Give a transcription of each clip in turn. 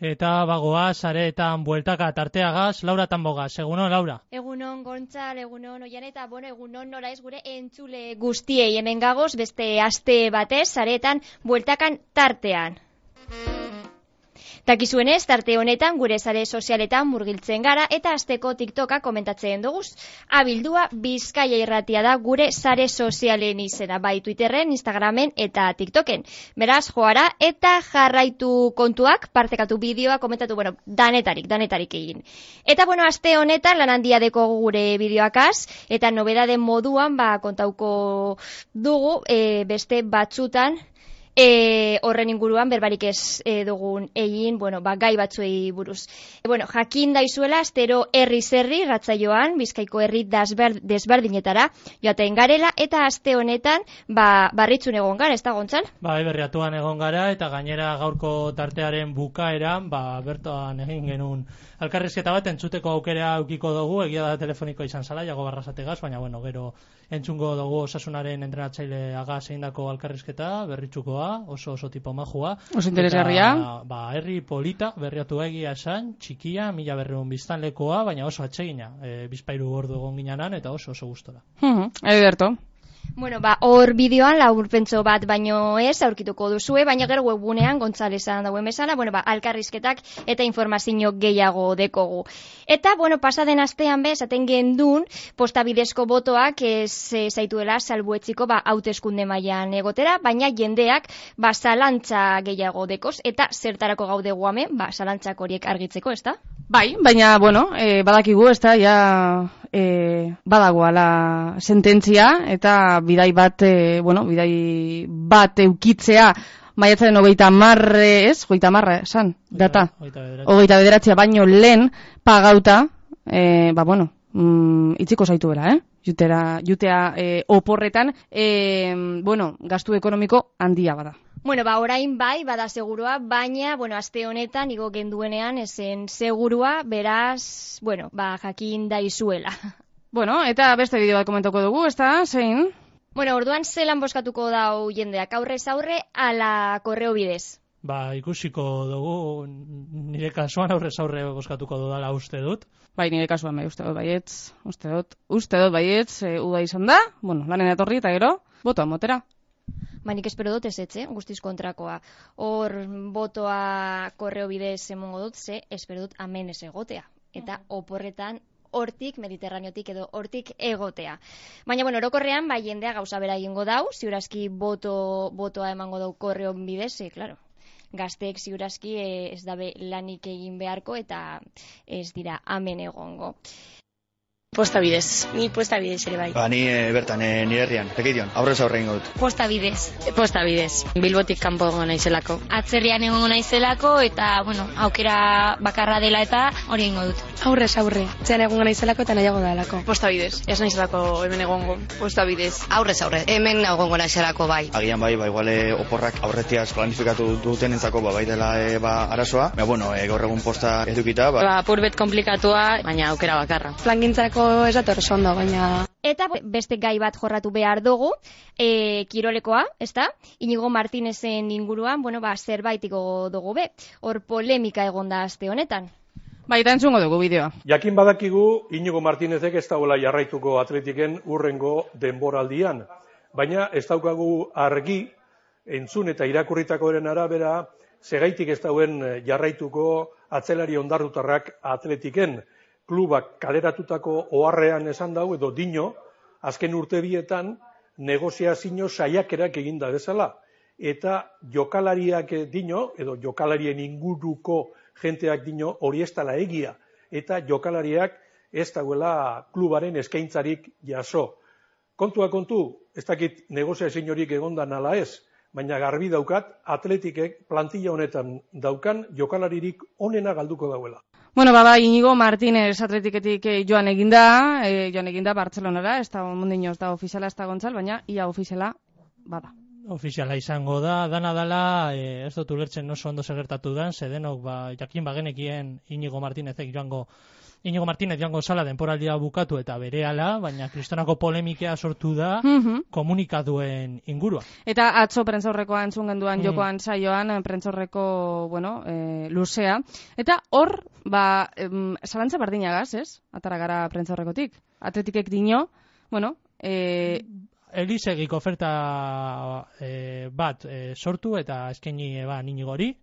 Eta bagoa, sareetan bueltaka tarteagaz, Laura Tambogaz. Egunon, Laura? Egunon, Gontzal, egunon, Oian, eta egunon nola ez gure entzule guztiei hemen gagoz, beste aste batez, sareetan bueltakan tartean. Takizuenez, tarte honetan gure sare sozialetan murgiltzen gara eta asteko TikToka komentatzen duguz. Abildua Bizkaia Irratia da gure sare sozialen izena, bai Twitterren, Instagramen eta TikToken. Beraz, joara eta jarraitu kontuak, partekatu bideoa, komentatu, danetarik egin. Eta, aste honetan lan handia deko gure bideoakaz, eta nobedade moduan, kontauko dugu, beste batzutan, horren inguruan berbarik ez dugun egin, gai batzuei buruz. Jakin daizuela, astero herri ratzaioan, Bizkaiko herri desberdinetara joaten garela, eta aste honetan, barritzun egon gara, ez da, Gontzal? Berriatuan egon gara, eta gainera gaurko tartearen bukaeran, bertoan egin genuen elkarrizketa bat, entzuteko aukera aukiko dugu, egia da telefoniko izan zala, jago barrazategaz, baina gero entzungo dugu Osasunaren entrenatzaile agaz egindako elkarrizketa, berritzukoa, oso tipo majua. Oso interesgarria. Herri polita, berriatu egia esan, txikia, 1.200 biztanlekoa, baina oso atsegina. Bizpahiru ordu egon ginanan, eta oso gustora. Ederto. Hor bideoan laburpentso bat baino ez aurkituko duzue, baina gero webgunean Gontzalesan dauen bezala, alkarrizketak eta informazio gehiago dekogu. Eta, pasaden astean esaten gendun, postabidezko botoak ez zaituela salbuetziko hauteskunde mailan egotera, baina jendeak zalantza gehiago dekoz, eta zertarako gaude guamen, zalantzak horiek argitzeko, ez da? Bai, baina, badakigu, ez da, badagoala sententzia, eta bidai bat eukitzea, maiatzaren 30, ez? 30, esan, data. 29 baino lehen pagauta, itziko zaitu bera, jutea oporretan, gastu ekonomiko handia bada. Orain bada segurua, baina, aste honetan, igo genduenean, esen segurua, beraz, jakin daizuela. Eta beste bideo bat komentako dugu, ez da, zein? Orduan zelan boskatuko dau jendeak, aurrez aurre, ala korreo bidez? Ikusiko dugu, nire kasuan aurrez aurre boskatuko dudala uste dut. Nire kasuan uste dut baietz, uda izan da, lanen etorri eta gero, botoa motera. Nik espero dut ez guztiz kontrakoa. Hor botoa korreo bidez emongo dut, espero dut amen ez egotea. Eta oporretan hortik, mediterraneotik edo hortik egotea. Baina, orokorrean, jendea gauza bera egingo dau, ziurazki botoa emango dau korreo bidez, klaro. Gazteek ziurazki ez dabe lanik egin beharko eta ez dira amen egongo. Posta bidez, ni posta bidez ere bai. Ni bertan, nire herrian, Lekeition, aurrez aurre ingo dut. Posta bidez, Bilbotik kanpo egongo naizelako. Atzerrian egongo naizelako eta, aukera bakarra dela eta hori ingo dut. Aurrez aurre, zean egongo naizelako eta nahiago dalako. Posta bidez, ez naizelako hemen egongo. Posta bidez. Aurrez aurre, hemen egongo naizelako bai. Agian iguale oporrak aurretiaz planifikatu dutenentzako bai dela arazoa. Gaur egun posta edukita. Purbet komplikatua, baina aukera bakarra. Plangintzako ez dator ondo, baina... Eta beste gai bat jorratu behar dugu, kirolekoa, ezta? Inigo Martinezen inguruan, zerbaitiko dugu be. Hor polemika egonda aste honetan. Eta entzungo dugu bideoa. Jakin badakigu, Inigo Martinezek ez dagoela jarraituko Atletiken urrengo denboraldian. Baina ez daukagu argi, entzun eta irakurritakoaren arabera, segaitik ez dauen jarraituko atzelari ondarrutarrak Atletiken. Klubak kaleratutako oharrean esan dau edo dino, azken urte bietan negoziazio saiakerak eginda bezala. Eta jokalariak dino, edo jokalarien inguruko jenteak dino, hori ez dela egia. Eta jokalariak ez dagoela klubaren eskaintzarik jaso. Kontua kontu, ez dakit negoziaziorik egondan ala ez, baina garbi daukat Atletikek plantilla honetan daukan jokalaririk onena galduko dauela. Inigo Martinez Atletiketik joan eginda Bartzelonara, ez da mundino ez da ofiziala ez da Gontzal, baina ia ofiziala bada. Ofiziala izango da, dana dala, ez dut ulertzen oso ondo segertatu dan, denok jakin bagenekien Inigo Martinezek joango Inigo Martínez joango zala denporaldia bukatu eta berehala, baina kristonako polemikea sortu da komunikaduen ingurua. Eta atzo prentzaurrekoa entzun genduan jokoan saioan, prentzaurreko, luzea. Eta hor, zalantza berdinagaz, ez? Atara gara prentzaurrekotik. Atletikek dino, Elisegik oferta bat sortu eta eskaini Inigori.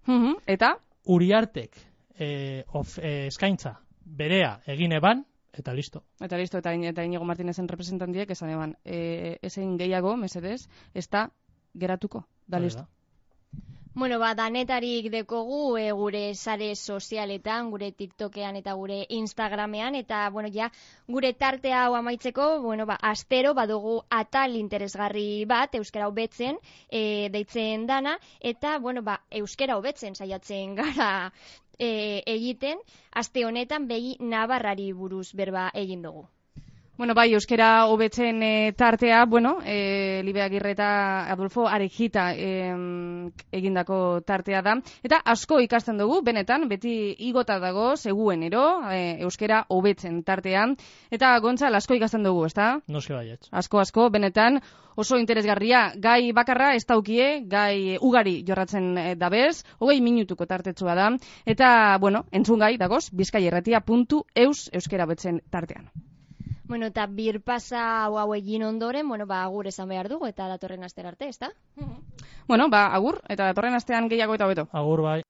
Eta? Uriartek eskaintza berea egin eban, eta listo. Eta Inigo Martínezen representantiek esan eban, ezein gehiago, mesedez, ez da geratuko, da listo. Danetarik dekogu gure sare sozialetan, gure TikTokean eta gure Instagramean, eta, gure tarte hau amaitzeko, astero badugu atal interesgarri bat, euskara hobetzen, deitzen dana, eta, euskara hobetzen saiatzen gara egiten, aste honetan begi Navarrari buruz berba egin dugu. Euskara hobetzen tartea, Libe Agirre eta Adolfo Arejita egindako tartea da. Eta asko ikasten dugu, benetan, beti igota dago, seguenero, euskara hobetzen tartean. Eta Gontzal, asko ikasten dugu, ezta? Noski baietz. Asko, benetan, oso interesgarria. Gai bakarra ez daukie, gai ugari jorratzen dabez, 20 minutuko tartetsua da. Eta, entzun gai, dagoz, bizkaierratia.eus euskara hobetzen tartean. Eta birpasa hau egin ondoren, agur esan behar dugu eta datorren astera arte, ezta? Agur, eta datorren astean gehiago eta hobeto. Agur bai.